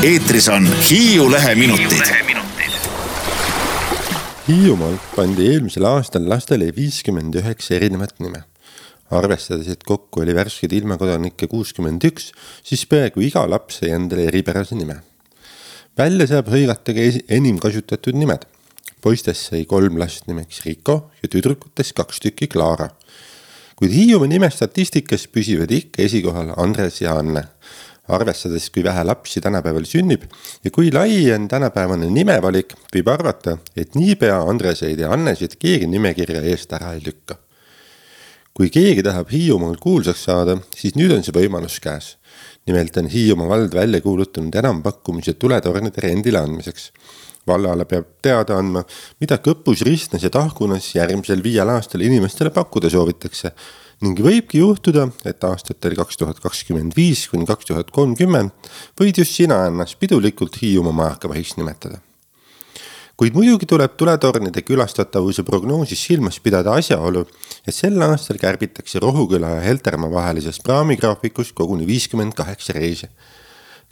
Eetris on Hiiu Leheminutid. Hiiumaal pandi eelmisel aastal lastele 59 erinevat nime. Arvestades, et kokku oli värsked ilmakodanikke 61, siis peaaegu iga laps sai endale eripärase nime. Välja saab hõigata ka enim kasutatud nimed. Poistest sai 3 last nimeks Rico ja tüdrukutest 2 tükki Clara. Kuid Hiiumaa nime statistikas püsivad ikka esikohal Andres ja Anne. Arvestades, kui vähe lapsi tänapäeval sünnib ja kui lai on tänapäevane nimevalik, võib arvata, et niipea Andreseid ja Annesid keegi nimekirja eest ära ei lükka. Kui keegi tahab Hiiumaal kuulsaks saada, siis nüüd on see võimalus käes. Nimelt on Hiiumaa vald välja kuulutanud enampakkumise tuletornide rendile andmiseks. Vallale peab teada andma, mida Kõpus, Ristnes ja Tahkunas järgmisel 5 aastal inimestele pakkuda soovitakse. Ning võibki juhtuda, et aastatel 2025 kuni 2030 võid just sina ennast pidulikult Hiiumaa majakavahiks nimetada. Kuid muidugi tuleb tuletornide külastatavuse prognoosis silmas pidada asjaolu, et sel aastal kärbitakse Rohuküla ja Heltermaa vahelisest praamigraafikust koguni 58 reisi.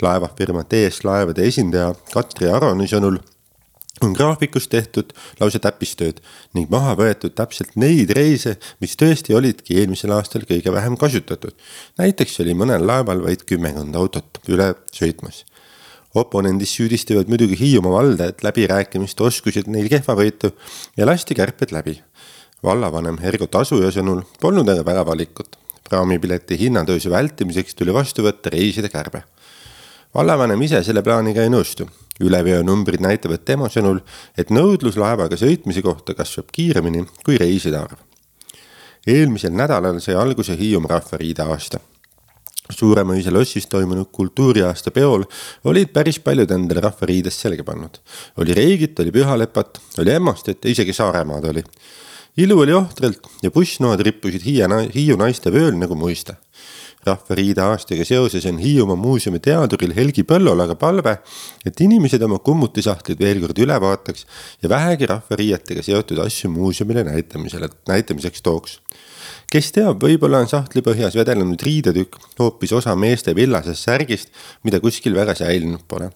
Laevafirma TS Laevade esindaja Katri Aroni sõnul on graafikus tehtud lausa täppistööd ning maha võetud täpselt neid reise, mis tõesti olidki eelmisel aastal kõige vähem kasutatud. Näiteks oli mõnel laeval vaid 10 autot üle sõitmas. Oponendis süüdistavad muidugi Hiiumaa valda, et läbirääkimiste oskused neil kehvavõitu ja lasti kärped läbi. Vallavanem Ergo Tasuja sõnul polnud aga väga valikut. Praamipileti hinnatõusu vältimiseks tuli vastu võtta reiside kärbe. Vallavanem ise selle plaaniga ei nõustu. Üleveo numbrid näitavad tema sõnul, et nõudlus laevaga sõitmise kohta kasvab kiiremini kui reiside arv. Eelmisel nädalal sai alguse Hiiumaa rahvariide aasta. Suuremõisa lossis toimunud kultuuriaasta peol olid päris paljud endale rahvariidest selge pannud. Oli Reigit, oli Pühalepat, oli Emmastet ja isegi Saaremaad oli. Ilu oli ohtralt ja bussnoad rippusid Hiiu naiste vööl nagu muista. Rahvariide aastaga seoses on Hiiumaa muuseumi teaduril Helgi Põllol aga palve, et inimesed oma kummutisahtid veel kord üle vaataks ja vähegi rahvariietega seotud asju muuseumile näitamiseks tooks. Kes teab, võib-olla on sahtli põhjas vedelenud riidetükk hoopis osa meeste villasest särgist, mida kuskil väga säilinud pole.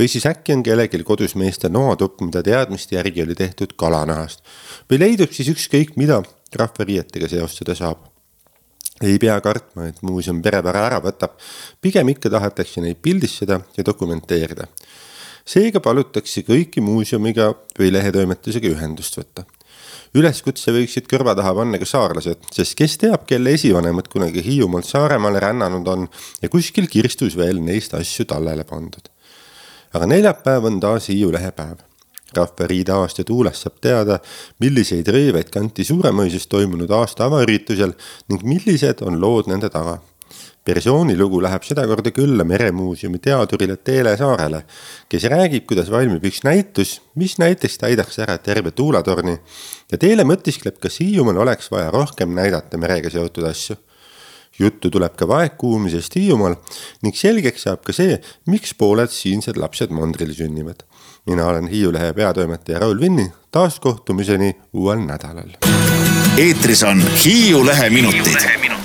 Või siis äkki on kellegil kodus meeste noatupp, mida teadmiste järgi oli tehtud kalanahast. Või leidub siis ükskõik mida rahvariietega seostada saab. Ei pea kartma, et muuseum perepära ära võtab, pigem ikka tahetakse neid pildistada ja dokumenteerida. Seega palutakse kõiki muuseumiga või lehetoimetusega ühendust võtta. Üleskutse võiksid kõrva taha panna ka saarlased, sest kes teab, kelle esivanemad kunagi Hiiumaalt Saaremaale rännanud on ja kuskil kirstus veel neist asju tallele pandud. Aga neljapäev on taas Hiiu lehepäev. Rahvariide aasta tuules saab teada, milliseid rõiveid kanti Suuremõisas toimunud aasta avaüritusel ning millised on lood nende taga. Persoonilugu läheb sedakorda külla Meremuuseumi teadurile Teele Saarele, kes räägib, kuidas valmib üks näitus, mis näiteks täidaks ära terve tuulatorni ja Teele mõtiskleb, kas Hiiumaal oleks vaja rohkem näidata merega seotud asju. Juttu tuleb ka vaegkuulmisest Hiiumaal ning selgeks saab ka see, miks pooled siinsed lapsed mandril sünnivad. Mina olen Hiiu Lehe peatoimetaja Raul Vinni, taas kohtumiseni uuel nädalal. Eetris on Hiiu Leheminutid.